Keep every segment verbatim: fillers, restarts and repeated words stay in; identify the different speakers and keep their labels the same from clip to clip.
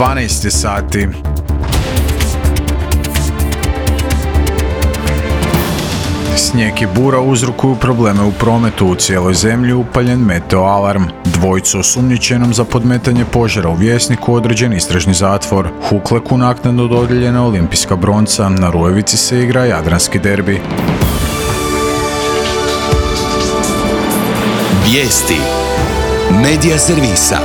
Speaker 1: dvanaest je sati. Snijeg i bura uzrokuju probleme u prometu, u cijeloj zemlji upaljen meteo alarm. Dvojicu osumnjičenom za podmetanje požara u Vjesniku određen istražni zatvor. Hukleku naknadno dodijeljena olimpijska bronca, na Rujevici se igra jadranski derbi.
Speaker 2: Vijesti Medija servisa.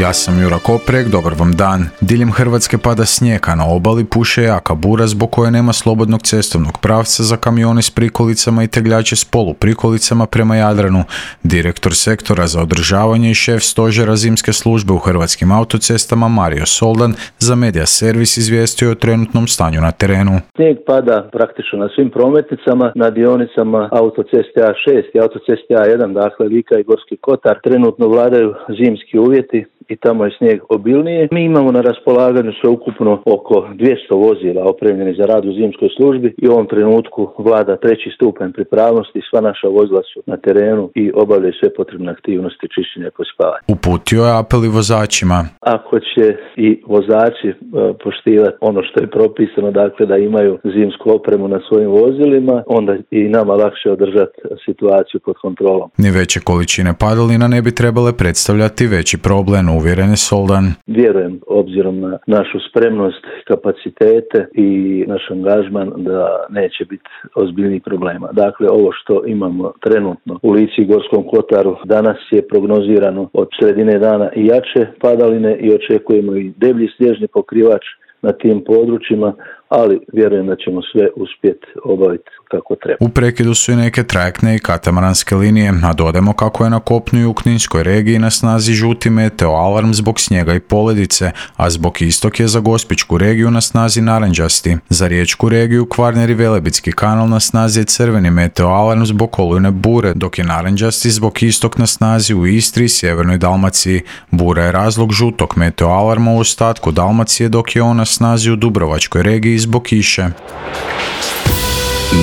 Speaker 1: Ja sam Jura Koprek, dobar vam dan. Diljem Hrvatske pada snijeg, a na obali puše jaka bura zbog koje nema slobodnog cestovnog pravca za kamione s prikolicama i tegljače s poluprikolicama prema Jadranu. Direktor sektora za održavanje i šef stožera zimske službe u Hrvatskim autocestama Mario Soldan za Medija servis izvijestio o trenutnom stanju na terenu.
Speaker 3: Snijeg pada praktično na svim prometnicama, na dionicama autoceste A šest i autoceste A jedan, dakle Lika i Gorski Kotar. Trenutno vladaju zimski uvjeti i tamo je snijeg obilnije. Mi imamo na raspolaganju sveukupno oko dvjesto vozila opremljenih za rad u zimskoj službi i u ovom trenutku vlada treći stupanj pripravnosti. Sva naša vozila su na terenu i obavljaju sve potrebne aktivnosti čišćenja i pospavanja.
Speaker 1: Uputio je apel i vozačima.
Speaker 3: Ako će i vozači uh, poštivati ono što je propisano, dakle da imaju zimsku opremu na svojim vozilima, onda i nama lakše održati situaciju pod kontrolom.
Speaker 1: Ni veće količine padalina ne bi trebale predstavljati veći problem, uvjeren je Soldan.
Speaker 3: Vjerujem, obzirom na našu spremnost, kapacitete i naš angažman, da neće biti ozbiljnih problema. Dakle, ovo što imamo trenutno u Lici i Gorskom Kotaru, danas je prognozirano od sredine dana i jače padaline i očekujemo i deblji snježni pokrivač na tim područjima, ali vjerujem da ćemo sve uspjeti obaviti kako treba.
Speaker 1: U prekidu su i neke trajektne i katamaranske linije, a dodajmo kako je na kopnu i u Kninskoj regiji na snazi žuti meteo alarm zbog snijega i poledice, a zbog istok je za Gospićku regiju na snazi naranđasti. Za Riječku regiju Kvarner i Velebitski kanal na snazi je crveni meteo alarm zbog olujne bure, dok je naranđasti zbog istok na snazi u Istri i Sjevernoj Dalmaciji. Bura je razlog žutog meteo alarma u ostatku Dalmacije, dok je on na snazi u Dubrovačkoj regiji zbog kiše.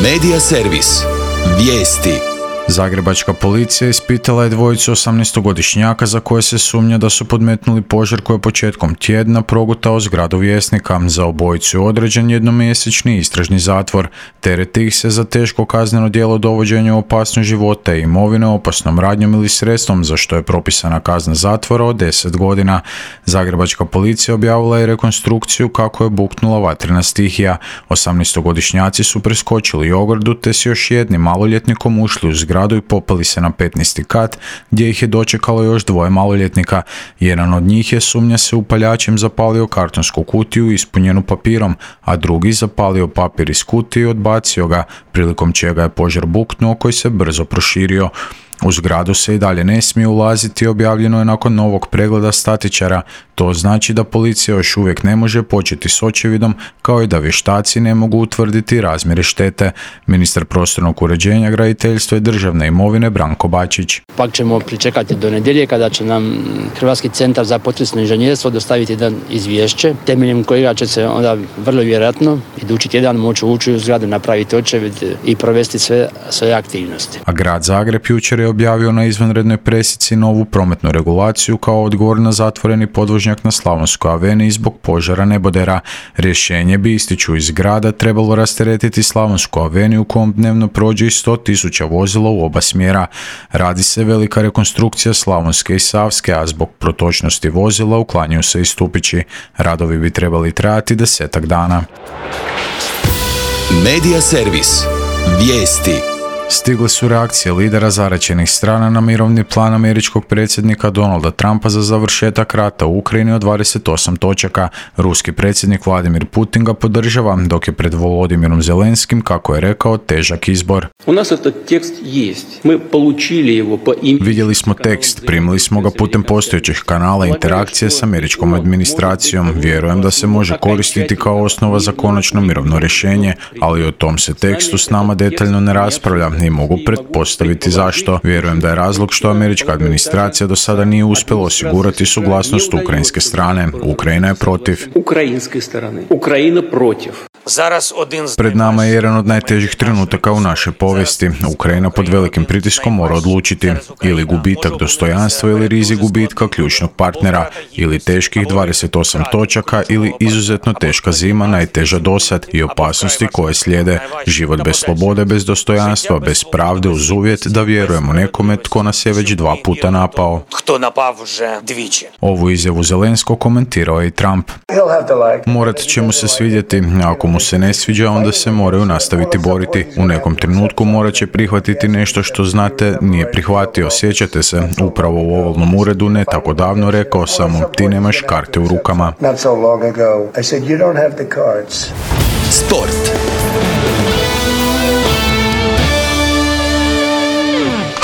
Speaker 2: Medija servis. Vijesti.
Speaker 1: Zagrebačka policija ispitala je dvojicu osamnaestogodišnjaka za koje se sumnja da su podmetnuli požar koji je početkom tjedna progutao zgradu Vjesnika. Za obojicu je određen jednomjesečni istražni zatvor. Tereti ih se za teško kazneno djelo dovođenja u opasnost života i imovine opasnom radnjom ili sredstvom, za što je propisana kazna zatvora od deset godina. Zagrebačka policija objavila je rekonstrukciju kako je buknula vatrena stihija. osamnaestogodišnjaci su preskočili ogradu te s još jednim maloljetnikom ušli u zgradu i popeli se na petnaesti kat, gdje ih je dočekalo još dvoje maloljetnika. Jedan od njih je, sumnja se, upaljačem zapalio kartonsku kutiju ispunjenu papirom, a drugi zapalio papir iz kutije i odbacio ga, prilikom čega je požar buknuo koji se brzo proširio. U zgradu se i dalje ne smije ulaziti, objavljeno je nakon novog pregleda statičara. To znači da policija još uvijek ne može početi s očevidom, kao i da vještaci ne mogu utvrditi razmjere štete. Ministar prostornog uređenja, graditeljstva i državne imovine Branko Bačić.
Speaker 4: Pak ćemo pričekati do nedjelje kada će nam Hrvatski centar za potresno inženjerstvo dostaviti jedan izvješće, temeljem kojega će se onda vrlo vjerojatno idući tjedan moći ući u zgradu, napraviti očevid i provesti sve svoje aktivnosti.
Speaker 1: A grad Zagreb jučer je objavio na izvanrednoj presici novu prometnu regulaciju kao odgovor na zatvoreni podvožnjak na Slavonskoj aveniji zbog požara nebodera. Rješenje bi, ističu iz grada, trebalo rasteretiti Slavonsku aveniju kojom dnevno prođe i sto tisuća vozila u oba smjera. Radi se velika rekonstrukcija Slavonske i Savske, a zbog protočnosti vozila uklanjaju se i stupići. Radovi bi trebali trajati desetak dana.
Speaker 2: Medija servis. Vijesti.
Speaker 1: Stigle su reakcije lidera zaraćenih strana na mirovni plan američkog predsjednika Donalda Trumpa za završetak rata u Ukrajini od dvadeset osam točaka. Ruski predsjednik Vladimir Putin ga podržava, dok je pred Volodimirom Zelenskim, kako je rekao, težak izbor.
Speaker 5: U nas этот tekst jest. Mi получили его по имени.
Speaker 1: Vidjeli smo tekst, primili smo ga putem postojećih kanala interakcije s američkom administracijom. Vjerujem da se može koristiti kao osnova za konačno mirovno rješenje, ali o tom se tekstu s nama detaljno ne raspravlja i mogu pretpostaviti zašto. Vjerujem da je razlog što američka administracija do sada nije uspjela osigurati suglasnost ukrajinske strane. Ukrajina je protiv.
Speaker 5: Ukrajinske strane. Ukrajina protiv.
Speaker 1: Pred nama je jedan od najtežih trenutaka u našoj povijesti. Ukrajina pod velikim pritiskom mora odlučiti ili gubitak dostojanstva ili rizik gubitka ključnog partnera, ili teških dvadeset osam točaka ili izuzetno teška zima, najteža dosad, i opasnosti koje slijede. Život bez slobode, bez dostojanstva, bez pravde, uz uvjet da vjerujemo nekome tko nas je već dva puta napao. Ovu izjavu Zelenskog komentirao je i Trump. Morat će mu se svidjeti, ako mu se ne sviđa, onda se moraju nastaviti boriti. U nekom trenutku morat će prihvatiti nešto što, znate, nije prihvatio. Sjećate se, upravo u ovalnom uredu ne tako davno rekao sam mu, ti nemaš karte u rukama.
Speaker 2: Sport.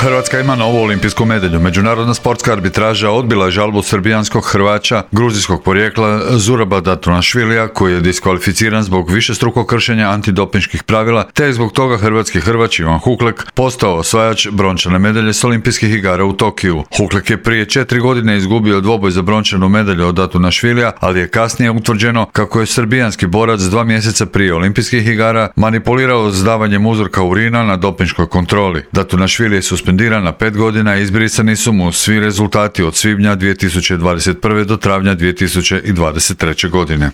Speaker 6: Hrvatska ima novu olimpijsku medalju. Međunarodna sportska arbitraža odbila je žalbu srbijanskog Hrvaća gruzijskog porijekla Zuraba Datunašvilija, koji je diskvalificiran zbog višestrukog kršenja antidopinških pravila, te je zbog toga hrvatski Hrvač Ivan Huklek postao osvajač brončane medalje s olimpijskih igara u Tokiju. Huklek je prije četiri godine izgubio dvoboj za brončanu medalju od Datunašvilija, ali je kasnije utvrđeno kako je srbijanski borac dva mjeseca prije olimpijskih igara manipulirao s davanjem uzorka urina na dopinškoj kontroli. Datunašvili je suspendiran na pet godina i izbrisani su mu svi rezultati od svibnja dvije tisuće dvadeset prve do travnja dvije tisuće dvadeset treće godine.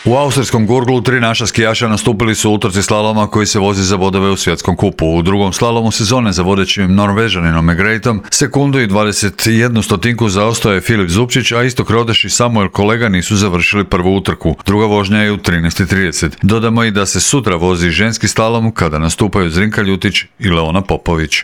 Speaker 6: U austrijskom Gurglu tri naša skijaša nastupili su u utrci slaloma koji se vozi za bodove u svjetskom kupu. U drugom slalomu sezone za vodećim Norvežaninom Egreitom sekundu i dvadeset jednu stotinku zaostao je Filip Zupčić, a Istok Rodeš i Samuel Kolega nisu završili prvu utrku. Druga vožnja je u trinaest i trideset. Dodamo i da se sutra vozi ženski slalom kada nastupaju Zrinka Ljutić i Leona Popović.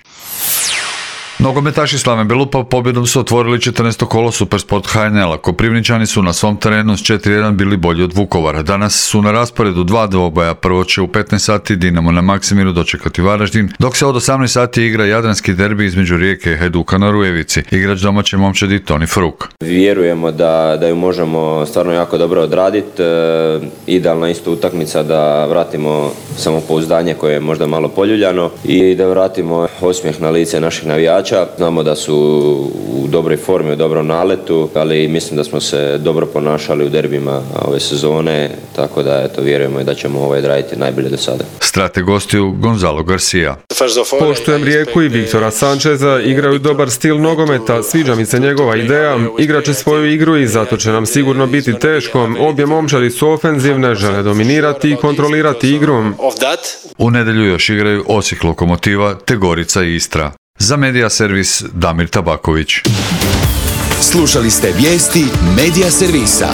Speaker 6: Nogometaši Slaven Belupa pobjedom su otvorili četrnaesto kolo Supersport H N L-a. Koprivničani su na svom terenu s četiri jedan bili bolji od Vukovara. Danas su na rasporedu dva dvoboja. Prvo će u petnaest sati Dinamo na Maksimiru dočekati Varaždin, dok se od osamnaest sati igra jadranski derbi između Rijeke i Hajduka na Rujevici. Igrač domaće momčadi Toni Fruk.
Speaker 7: Vjerujemo da, da ju možemo stvarno jako dobro odraditi. E, idealna isto utakmica da vratimo samopouzdanje koje je možda malo poljuljano i da vratimo osmijeh na lice naših navijača. Znamo da su u dobroj formi, u dobrom naletu, ali mislim da smo se dobro ponašali u derbima ove sezone, tako da eto, vjerujemo i da ćemo ovaj odraditi najbolje do sada.
Speaker 6: Strate gostiju Gonzalo Garcia.
Speaker 8: Poštujem Rijeku i Viktora Sančeza, igraju dobar stil nogometa, sviđa mi se njegova ideja, igrat će svoju igru i zato će nam sigurno biti teško. Obje momčadi su ofenzivne, žele dominirati i kontrolirati igru.
Speaker 6: U nedjelju još igraju Osijek Lokomotiva te Gorica i Istra. Za Medija servis Damir Tabaković.
Speaker 2: Slušali ste vijesti Medija servisa.